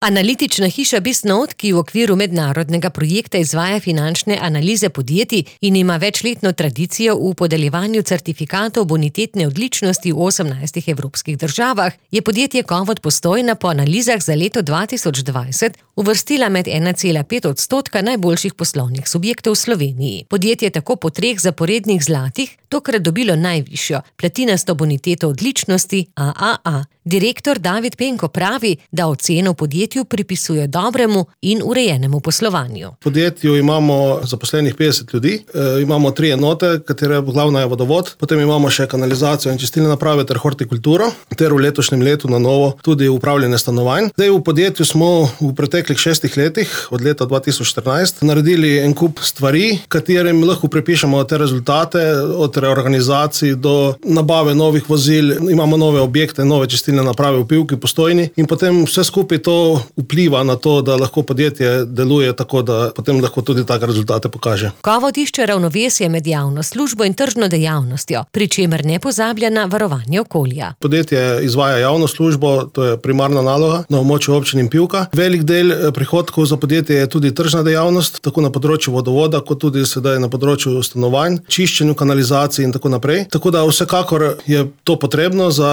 Analitična hiša Bisnode, ki v okviru mednarodnega projekta izvaja finančne analize podjetij in ima večletno tradicijo v podeljevanju certifikatov bonitetne odličnosti v 18 evropskih državah, je podjetje Kovot Postojna po analizah za leto 2020 uvrstila med 1,5% najboljših poslovnih subjektov v Sloveniji. Podjetje je tako po 3 zaporednih zlatih tokrat dobilo najvišjo, platinasto boniteto odličnosti AAA. Direktor David Penko pravi, da oceno podjetju pripisuje dobremu in urejenemu poslovanju. V podjetju imamo zaposlenih 50 ljudi, imamo 3 enote, katere glavna je vodovod, potem imamo še kanalizacijo in čistilne naprave ter hortikulturo, ter v letošnjem letu na novo tudi upravljanje stanovanj. Zdaj v podjetju smo v preteklih 6 letih, od leta 2014, naredili en kup stvari, katerim lahko pripišemo te rezultate, od reorganizacij do nabave novih vozil, imamo nove objekte, nove čistilne naprave v Pivki, Postojni in potem vse skupaj to vpliva na to, da lahko podjetje deluje tako, da potem lahko tudi take rezultate pokaže. Kovot išče ravnovesje med javno službo in tržno dejavnostjo, pri čemer ne pozablja na varovanje okolja. Podjetje izvaja javno službo, to je primarna naloga na območju občin in Pivka. Velik del prihodkov za podjetje je tudi tržna dejavnost, tako na področju vodovoda, kot tudi sedaj na področju stanovanj, čiščenju kanalizacij in tako naprej. Tako da vsekakor je to potrebno za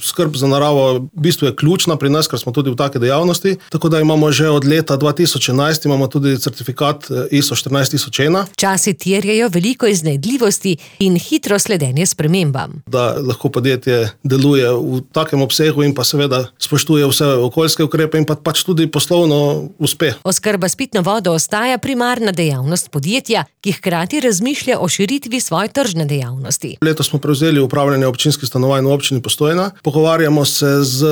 skrb za naravo, v bistvu je ključna pri nas, ker smo tudi v take dejavnosti. Tako da imamo že od leta 2011 imamo tudi certifikat ISO 14001. Časi terjajo veliko iznajdljivosti in hitro sledenje spremembam. Da lahko podjetje deluje v takem obsegu in pa seveda spoštuje vse okoljske ukrepe in pač tudi poslovno uspe. Oskrba s pitno vodo ostaja primarna dejavnost podjetja, ki hkrati razmišlja o širitvi svoje tržne dejavnosti. Letos smo prevzeli upravljanje občinskih stanovanj v občini Postojna. Pogovarjamo se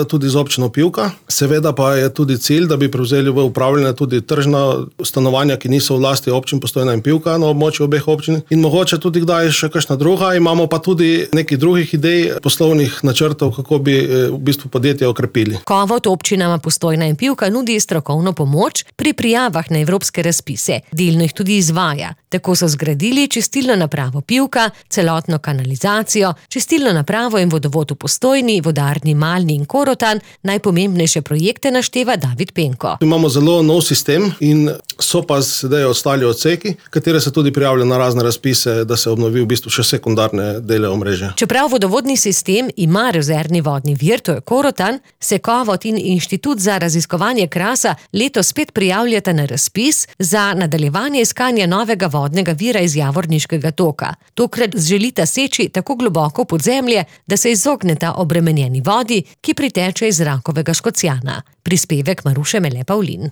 tudi z občino Pivka. Seveda pa je tudi cilj, da bi prevzeli v upravljanje tudi tržna stanovanja, ki niso v lasti občin Postojna in Pivka na območju obeh občin. In mogoče tudi kdaj še kakšna druga. Imamo pa tudi nekih drugih idej, poslovnih načrtov, kako bi v bistvu podjetje okrepili. Kovot občinama Postojna in Pivka nudi strokovno pomoč pri prijavah na evropske razpise. Delno jih tudi izvaja. Tako so zgradili čistilno napravo Pivka, celotno kanalizacijo, čistilno napravo in vodovod v Postojni, vodarni Malni in Korotan. Najpomembnejše projekte našteva David Penko. Imamo zelo nov sistem in so pa sedaj ostali odseki, katere se tudi prijavljajo na razne razpise, da se obnovi v bistvu še sekundarne dele omrežja. Čeprav vodovodni sistem ima rezervni vodni vir, to je Korotan, se Kovot in Inštitut za raziskovanje Krasa letos spet prijavljata na razpis za nadaljevanje iskanja novega vodnega vira iz Javorniškega toka. Tokrat želita seči tako globoko pod zemlje, da se izogneta obremenjeni vodi, ki priteče iz Rakovega Škocjana. Prispevek Maruše Mele Pavlin.